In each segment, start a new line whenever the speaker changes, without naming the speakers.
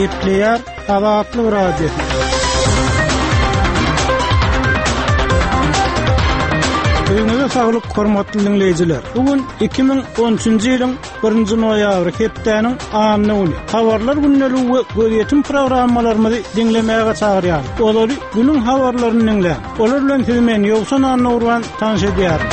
Gepleýär Azatlyk Radiosy. Öňüňize saglyk, hormatly diňleýjiler. Bu gün 2013-nji ýylyň 1-nji noýabry, hepdäniň anna güni. Habarlar gündeligi we gözýetim programmalarymyzy diňlemäge çagyrýarys. Olary günüň habarlaryny diňläň. Olar bilen sizi men Ýowşan Annagurban tanyş edýärin.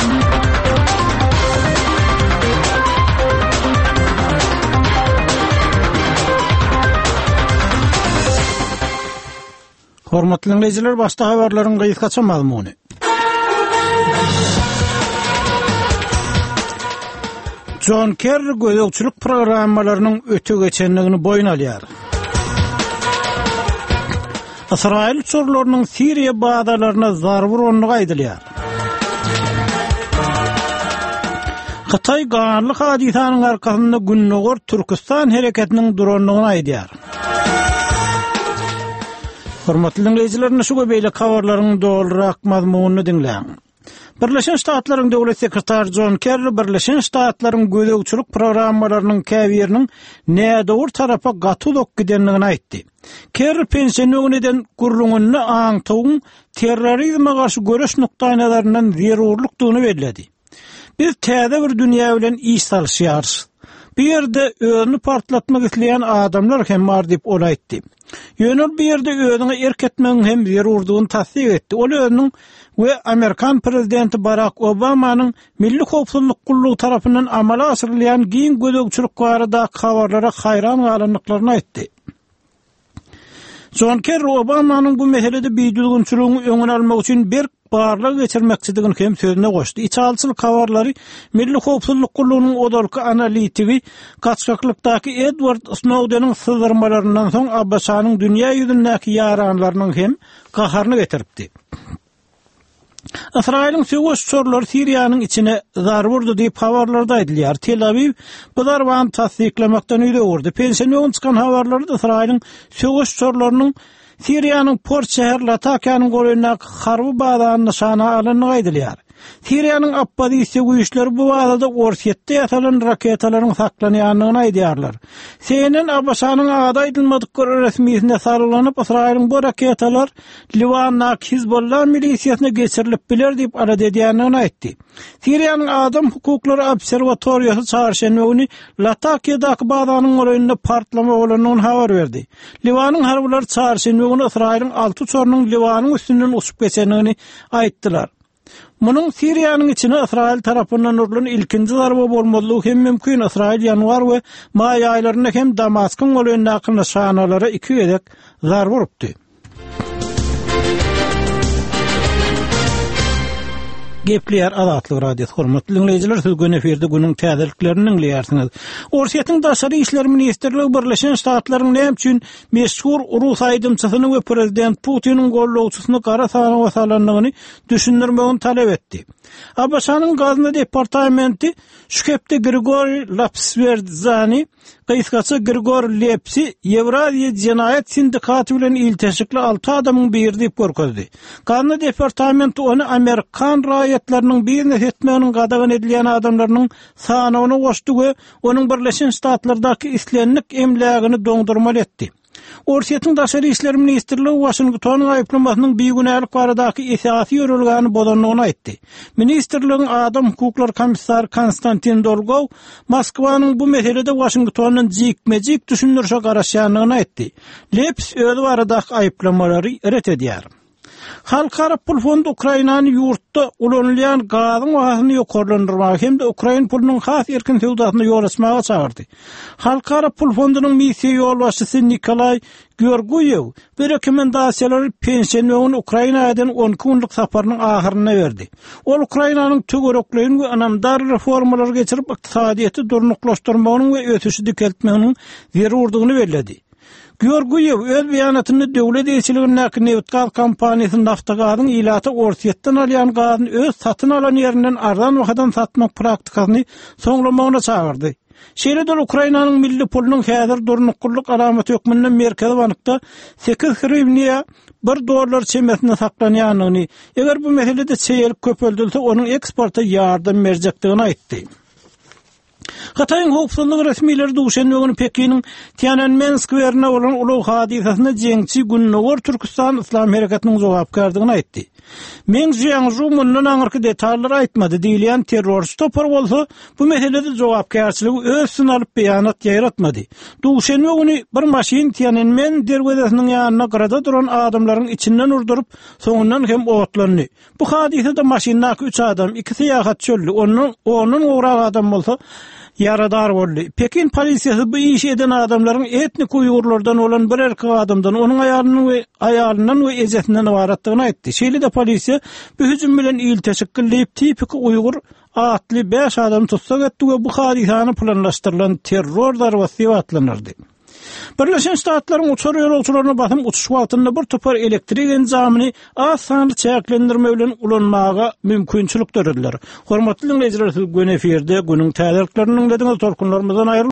Hormatly diňleýjiler, başda habarlaryň gysgaça mazmuny. Jon Kerri gözegçilik programmalarynyň öte geçendigini boýun alýar. Ysraýyl uçarlarynyň Siriýa bazalaryna zarba urandygy aýdylýar. Hytaý ganly hadysanyň arkasynda Gündogar Türküstan hereketiniň durandygyny aýdýar. Hormatly diňleýjiler, indi şu we beýleki habarlaryň dolurak mazmunyny diňläň. Birleşen Ştatlaryň Döwlet sekretary Jon Kerri Birleşen Ştatlaryň gözegçilik programmalarynyň käbiriniň nädogry tarapa gaty uzak gidendigini aýtdy. Kerri penşenbe güni eden gürrüňinde aňtawyň terrorizme garşy göreş nukdaýnazaryndan zerurlykdygyny belledi. Biz täze bir dünýä bilen iş salyşýarys. Bu ýerde özüni partlatmak isleýän adamlar hem bar diýip, ol aýtdy. Ýöne ol bu ýerde özüňe erk etmegiň hem zerurdygyny tassyk etdi. Ol özüniň we amerikan prezidenti Barak Obamanyň Milli howpsuzlyk gullugy tarapyndan amala aşyrylýan giň gözegçilik baradaky habarlara haýran galandyklaryny aýtdy. Jon Kerri Obamanyň bu meselede bidüzgünçiligiň öňüni almak üçin berk barlag geçirmekçidigini hem sözüne goşdy. Içalyçylyk habarlary Milli howpsuzlyk gullugynyň ozalky analitigi, gaçgaklykdaky Edward Snowdeniň syzdyrmalaryndan soň ABŞ-nyň dünýä ýüzündäki ýaranlarynyň hem gaharyny getiripdi. Ysraýylyň söweş uçarlary Siriýanyň içine zarba urdy diýip, habarlarda aýdylýar. Tel-Awiw bu zarbany tassyklamakdan ýüz öwürdi. Penşenbe güni çykan habarlarda Ysraýylyň söweş uçarlarynyň Siriýanyň port şäheri Latakiýanyň golaýyndaky harby bazany nyşana alandygy aýdylýar. Siriýanyň oppozisiýa güýçleri bu bazada Orsýetde ýasalan raketalaryň saklanýandygyny aýdýarlar. CNN ABŞ-nyň ady aýdylmadyk bir resmisine salgylanyp, Ysraýylyň bu raketalar Liwandaky Hizbollah milisiýasyna geçirilip biler diýip alada edýändigini aýtdy. Siriýanyň Adam hukuklary obserwatoriýasy çarşenbe güni Latakiýadaky bazanyň golaýynda partlama bolandygyny habar berdi. Liwanyň harbylary çarşenbe güni Ysraýylyň alty uçarynyň Liwanyň üstünden uçup geçendigini aýtdylar. Munuň Siriýanyň içine Ysraýyl tarapyndan urlan ilkinji zarba bolmazlygy hem mümkin. Ysraýyl ýanwar we maý aýlarynda hem Damaskyň golaýyndaky nyşanalara iki gezek zarba urupdy. Gepleýär Azatlyk Radiosy hormatly diňleýjiler siz göni efirde günüň täzeliklerini diňleýärsiňiz. Orsýetiň Daşary işler ministrligi Birleşen Ştatlaryň näme üçin meşhur rus aýdymçysyny we prezident Putiniň gollawçysyny gara sanawa salandygyny düşündirmegini talap etdi. ABŞ-nyň Gazna departamenti şu hepde Grigoriý Lapswerdzany Gysgaça Grigor Lepsi Ýewraziýa jenaýat sindikaty bilen ilteşikli alty adamyň biri diýip görkezdi. Gazna departamenti ony amerikan raýatlarynyň biznes etmeginiň gadagan edilýän adamlarynyň sanawyna goşdy we onuň Birleşen Ştatlardaky islendik emlägini doňdurmaly etdi. Orsýetiň Daşary işler ministrligi Waşingtonyň aýyplamasynyň bigünälik baradaky esasy ýörelgäni bozandygyny aýtdy. Ministrligiň adam hukuklary komissary Konstantin Dolgow Moskwanyň bu meselede Waşingtondan jikme-jik düşündirişe garaşýandygyny aýtdy. Leps özi baradaky aýyplamalary ret edýär. Halkara pul fondy Ukrainany ýurtda ulanylýan gazyň bahasyny ýokarlandyrmaga hem-de ukrain pulunyň has erkin söwdasyna ýol açmaga çagyrdy. Halkara pul fondunyň missiýa ýolbaşçysy Nikolaý Georgiýew bu rekomendasiýalary penşenbe güni Ukraina eden 12 günlük saparynyň ahyrynda berdi. Ol Ukrainanyň töwerekleýin we ynamdar reformalary geçirip, ykdysadyýeti durnuklaşdyrmagynyň we ösüşi dikeltmeginiň zerurdygyny belledi. Georgiýew öz beýanatynda döwlet eýeçiligindäki nebitgaz kompaniýasy Naftogazyň ilata Orsýetden alýan gazyny öz satyn alan ýerinden arzan bahadan satmak praktikasyny soňlamagyna çagyrdy. Şeýle-de ol Ukrainanyň milli pulunyň häzir durnuklylyk alamaty hökmünde Merkezi bankda sekiz hriwniýa bir dollar çemesinde saklanýandygyny, eger bu meselede çeýelik köpeldilse, onuň eksporta ýardam berjekdigini aýtdy. Hytaýyň howpsuzlyk resmileri duşenbe güni Pekiniň Tiananmen skwerinde bolan ulag hadysasynda jeňçi Gündogar Türküstan Yslam hereketiniň jogapkärdigini aýtdy. Meng Jiangžu mundan aňyrky detallary aýtmady diýilýän terrorçy topar bolsa bu meselede jogapkärçiligi öz üstüne alyp beýanat ýaýratmady. Duşenbe güni bir maşyn Tiananmen derwezesiniň ýanynda gyrada duran adamlaryň içinden urduryp, soňundan hem otlandy. Bu hadysada maşyndaky üç adam, iki syýahatçy öldi, ondan ondan gowrak adam bolsa ýaradar boldy. Pekin polisiýasy bu işi eden adamlaryň etnik uýgurlardan bolan bir erkek adamdan, onuň aýalynyň we aýalyndan we ejesinden ybaratdygyny aýtdy. Şeýle-de polisiýa bu hüjüm bilen ilteşikli diýip tipiki uýgur atly bäş adamy tussag etdi we bu hadysany planlaşdyrylan terror zarbasy diýip atlandyrdy. Birleşen Ştatlaryň uçar ýolagçylaryna basym uçuş wagtynda bir topar elektrik enjamyny az sanly çäklendirme bilen ulanmaga mümkinçilik dörediler. Hormatly diňleýjiler, siz göni efirde günüň täzeliklerini diňlediňiz, tolkunlarymyzdan aýryl.